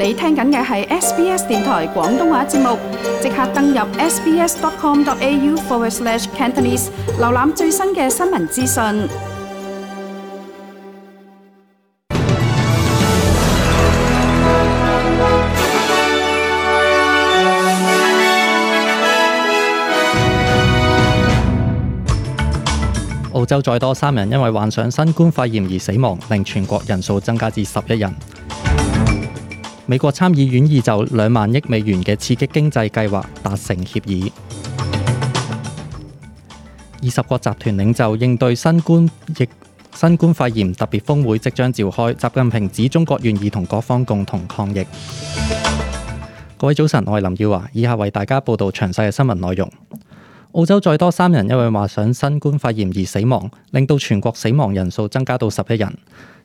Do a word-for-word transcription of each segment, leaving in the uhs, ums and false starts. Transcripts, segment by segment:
你聽緊嘅係 S B S 電台廣東話節目，即刻登入 sbs.com.au forward slash Cantonese， 瀏覽最新嘅新聞資訊。澳洲再多三人因為患上新冠肺炎而死亡，令全國人數增加至十一人。美國參議院已就兩萬億美元嘅刺激經濟計劃達成協議。二十國集團領袖應對新冠疫新冠肺炎特別峰會即將召開，習近平指中國願意同各方共同抗疫。各位早晨，我係林耀華，以下為大家報道詳細嘅新聞內容。澳洲再多三人因為患上新冠肺炎而死亡，令到全國死亡人數增加到十一人。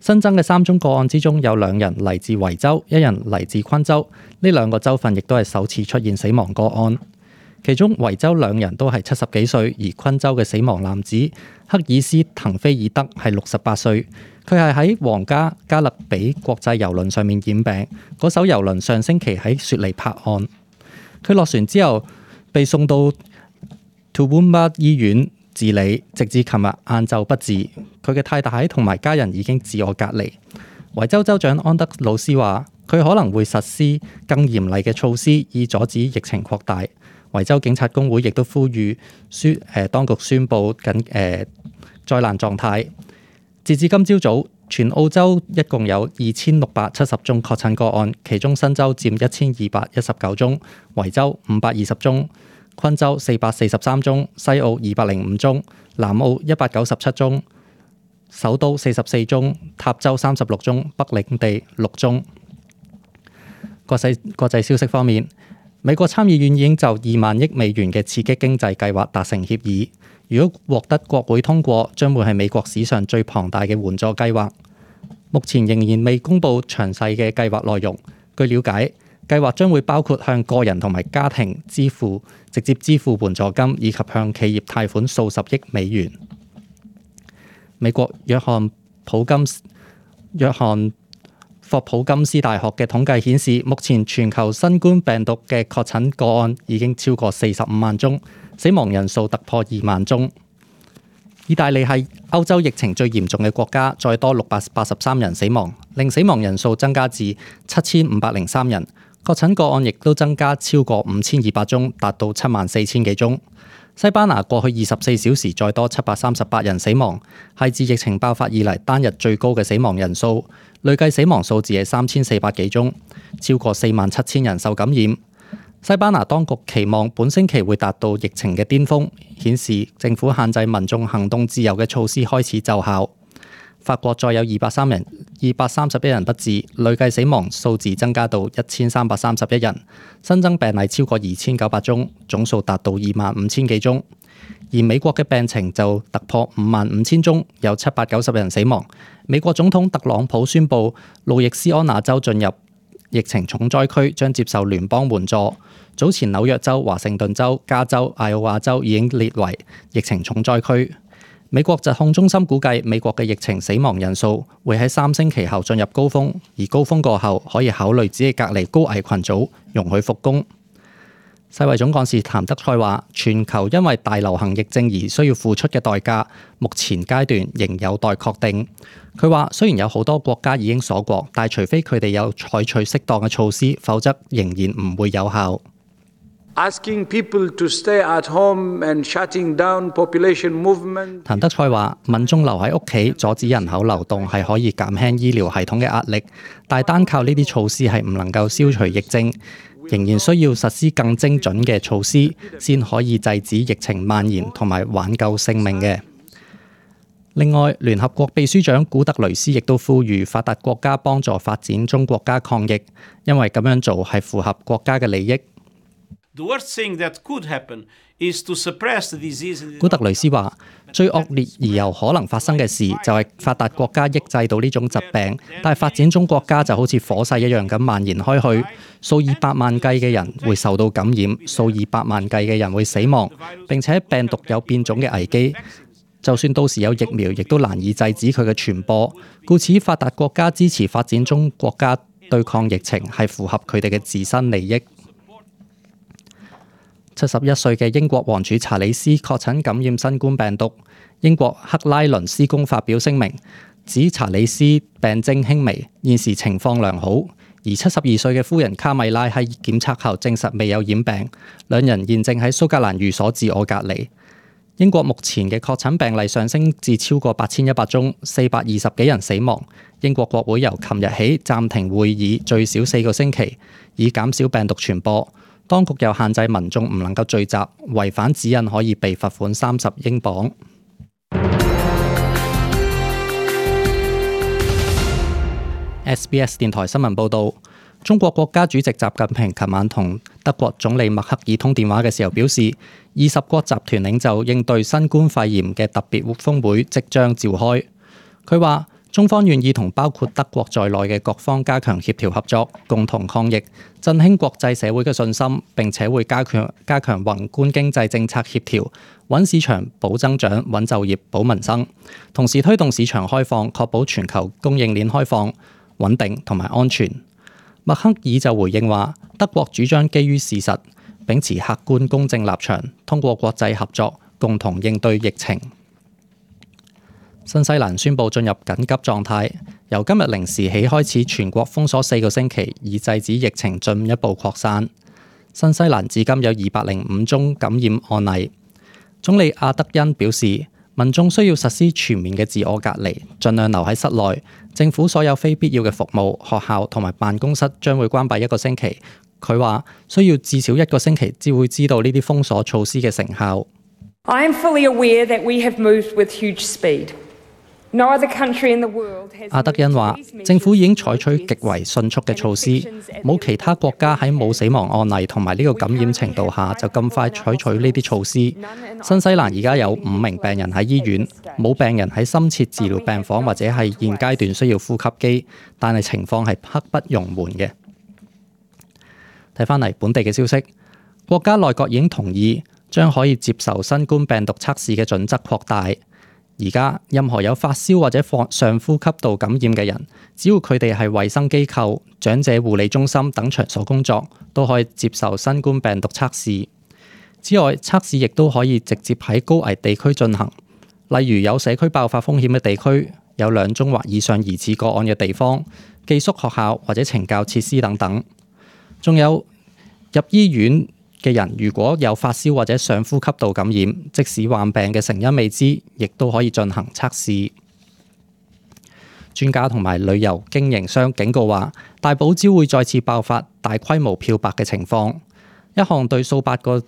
新增嘅三宗個案之中，有兩人嚟自維州，一人嚟自昆州。呢兩個州份亦都係首次出現死亡個案。其中維州兩人都係七十幾歲，而昆州嘅死亡男子克爾斯滕菲爾德係六十八歲。佢係喺皇家加勒比國際郵輪上面染病，嗰艘郵輪上星期喺雪梨泊岸。佢落船之後被送到Toowoomba 醫院治理，直至琴日晏晝不治。佢嘅太太同埋家人已經自我隔離。維州州長安德魯斯話，佢可能會實施更嚴厲嘅措施，以阻止疫情擴大。維州警察工會亦都呼籲宣誒當局宣布緊誒、呃、災難狀態。截至今朝早，全澳洲一共有二千六百七十宗確診個案，其中新州佔一千二百一十九宗，維州五百二十宗。昆州四百四十三宗，西澳二百零五宗，南澳一百九十七宗，首都四十四宗，塔州三十六宗，北領地六宗。國際國際消息方面，美國參議院已經就二萬億美元嘅刺激經濟計劃達成協議，如果獲得國會通過，將會係美國史上最龐大嘅援助計劃。目前仍然未公布詳細嘅計劃內容。據了解，計劃將會包括向個人同埋家庭支付直接支付援助金，以及向企業貸款數十億美元。美國約翰普金約翰霍普金斯大學嘅統計顯示，目前全球新冠病毒嘅確診個案已經超過四十五萬宗，死亡人數突破二萬宗。意大利係歐洲疫情最嚴重嘅國家，再多六百八十三人死亡，令死亡人數增加至七千五百零三人。確診個案亦都增加超過五千二百宗，達到七萬四千幾宗。西班牙過去二十四小時再多七百三十八人死亡，係自疫情爆發以嚟單日最高嘅死亡人數，累計死亡數字係三千四百幾宗，超過四萬七千人受感染。西班牙當局期望本星期會達到疫情嘅巔峰，顯示政府限制民眾行動自由嘅措施開始奏效。法國再有二百三人、二百三十一人不治，累計死亡數字增加到一千三百三十一人，新增病例超過二千九百宗，總數達到二萬五千幾宗。而美國嘅病情就突破五萬五千宗，有七百九十人死亡。美國總統特朗普宣布，路易斯安那州進入疫情重災區，將接受聯邦援助。早前紐約州、華盛頓州、加州、艾奧瓦州已經列為疫情重災區。美國疾控中心估計，美國嘅疫情死亡人數會喺三星期後進入高峰，而高峰過後可以考慮只係隔離高危群組，容許復工。世衛總幹事譚德塞話，全球因為大流行疫症而需要付出嘅代價，目前階段仍有待確定。佢話，雖然有好多國家已經鎖國，但除非佢哋有採取適當嘅措施，否則仍然唔會有效。Asking people to stay at home and shutting down population movement。譚德塞話：民眾留喺屋企，阻止人口流動係可以減輕醫療系統嘅壓力，但係單靠呢啲措施係唔能夠消除疫症，仍然需要實施更精準嘅措施，先可以制止疫情蔓延同埋挽救性命嘅。另外，聯合國秘書長古特雷斯亦都呼籲發達國家幫助發展中國家抗疫，因為咁樣做係符合國家嘅利益。古特雷斯話：最惡劣而又可能發生嘅事就係發達國家抑制到呢種疾病，但係發展中國家就好似火勢一樣咁蔓延開去，數以百萬計嘅人會受到感染，數以百萬計嘅人會死亡，並且病毒有變種嘅危機。就算到時有疫苗，亦都難以制止佢嘅傳播。故此，發達國家支持發展中國家對抗疫情係符合佢哋嘅自身利益。七十一歲嘅英國王儲查理斯確診感染新冠病毒。英國克拉倫斯宮發表聲明，指查理斯病徵輕微，現時情況良好。而七十二歲嘅夫人卡米拉喺檢測後證實未有染病，兩人現正喺蘇格蘭寓所自我隔離。英國目前嘅確診病例上升至超過八千一百宗，四百二十幾人死亡。英國國會由琴日起暫停會議最少四個星期，以減少病毒傳播。當局又限制民眾唔能夠聚集，違反指引可以被罰款三十英鎊。S B S 電台新聞報導，中國國家主席習近平琴晚同德國總理默克爾通電話嘅時候表示，二十國集團領袖應對新冠肺炎嘅特別峰會即將召開。佢話：中方願意同包括德國在內嘅各方加強協調合作，共同抗疫，振興國際社會嘅信心，並且會加強加強宏觀經濟政策協調，穩市場、保增長、穩就業、保民生，同時推動市場開放，確保全球供應鏈開放、穩定同埋安全。默克爾就回應話：德國主張基於事實，秉持客觀公正立場，通過國際合作共同應對疫情。新西蘭宣布進入緊急狀態，由今日零時起開始全國封鎖四個星期，以制止疫情進一步擴散。新西蘭至今有二百零五宗感染案例。總理阿德恩表示，民眾需要實施全面嘅自我隔離，盡量留喺室內。政府所有非必要嘅服務、學校同埋辦公室將會關閉一個星期。佢話需要至少一個星期，至會知道呢啲封鎖措施嘅成效。I am fully aware that we have moved with huge speed. No other country in the world has. 阿德恩話：政府已經採取極為迅速嘅措施，冇其他國家喺冇死亡案例同埋呢個感染程度下就咁快採取呢啲措施。新西蘭而家有五名病人喺醫院，冇病人喺深切治療病房或者係現階段需要呼吸機，但係情況係刻不容緩嘅。睇返嚟本地嘅消息，國家內閣已經同意將可以接受新冠病毒測試嘅準則擴大。而家任何有發燒或者上呼吸道感染嘅人，只要佢哋係衛生機構、長者護理中心等場所工作，都可以接受新冠病毒測試。之外，測試亦都可以直接喺高危地區進行，例如有社區爆發風險嘅地區，有兩宗或以上疑似個案嘅地方，寄宿學校或者懲教設施等等。仲有入醫院嘅人，如果有發燒或者上呼吸道感染，即使患病嘅成因未知，亦都可以進行測試。專家同埋旅遊經營商警告話，大堡礁會再次爆發大規模漂白嘅情況。一項對數百個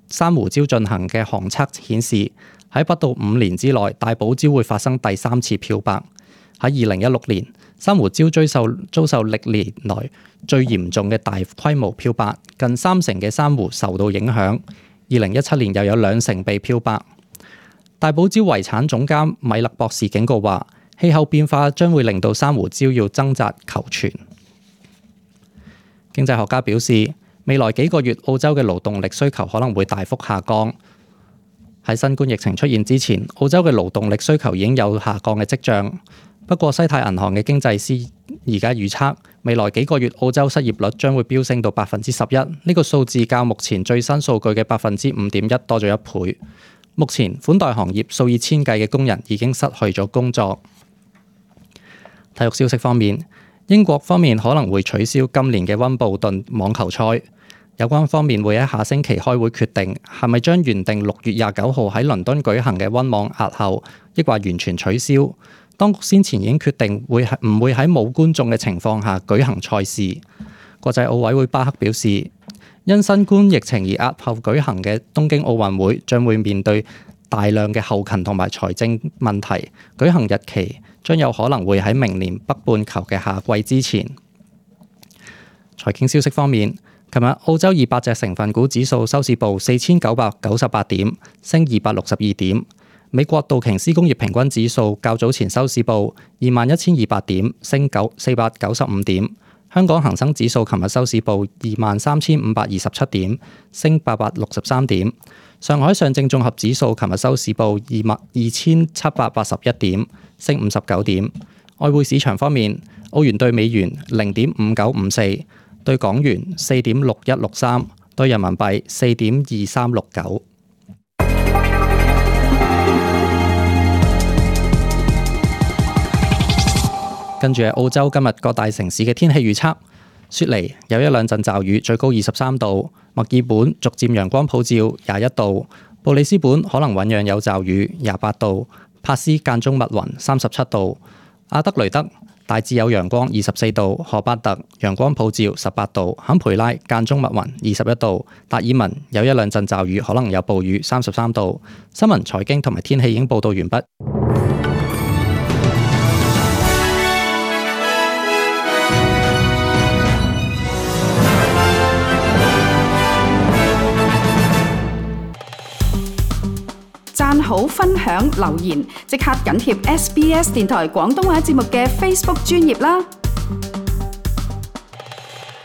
珊瑚礁進行嘅航測顯示，喺不到五年之內，大堡礁會發生第三次漂白。喺二零一六年，珊瑚礁遭受遭受歷年來最嚴重嘅大規模漂白，近三成嘅珊瑚受到影響。二零一七年又有兩成被漂白。大堡礁遺產總監米勒博士警告話，氣候變化將會令到珊瑚礁要掙扎求存。經濟學家表示，未來幾個月澳洲嘅勞動力需求可能會大幅下降。喺新冠疫情出現之前，澳洲嘅勞動力需求已經有下降嘅跡象。不過西太銀行嘅經濟師而家預測，未來幾個月澳洲失業率將會飆升到百分之十一，呢個數字較目前最新數據嘅百分之五點一多咗一倍。目前款待行業數以千計嘅工人已經失去咗工作。體育消息方面，英國方面可能會取消今年嘅溫布頓網球賽，有關方面會喺下星期開會決定係咪將原定六月廿九號喺倫敦舉行嘅溫網押後，抑或完全取消。當局先前已經決定會係唔會喺冇觀眾嘅情況下舉行賽事。國際奧委會巴克表示，因新冠疫情而押後舉行嘅東京奧運會將會面對大量嘅後勤同埋財政問題，舉行日期將有可能會喺明年北半球嘅夏季之前。財經消息方面，琴日澳洲二百隻成分股指數收市報四千九百九十八點，升二百六十二點。美國道瓊斯工業平均指數較早前收市報二萬一千二百點，升九四百九十五點。香港恒生指數琴日收市報二萬三千五百二十七點，升八百六十三點。上海上證綜合指數琴日收市報二萬二千七百八十一點，升五十九點。外匯市場方面，澳元對美元零點五九五四，對港元四點六一六三，對人民幣四點二三六九。跟住係澳洲今日各大城市嘅天氣預測：雪梨有一兩陣驟雨，最高二十三度；墨爾本逐漸陽光普照，廿一度；布里斯本可能醞釀有驟雨，廿八度；帕斯間中密雲，三十七度；阿德雷德大致有陽光，二十四度；荷巴特陽光普照，十八度；坎培拉間中密雲，二十一度；達爾文有一兩陣驟雨，可能有暴雨，三十三度。新聞、財經同埋天氣已經報道完畢。讚好、分享、留言，即刻緊貼 S B S 電台廣東話節目嘅 Facebook 專頁啦！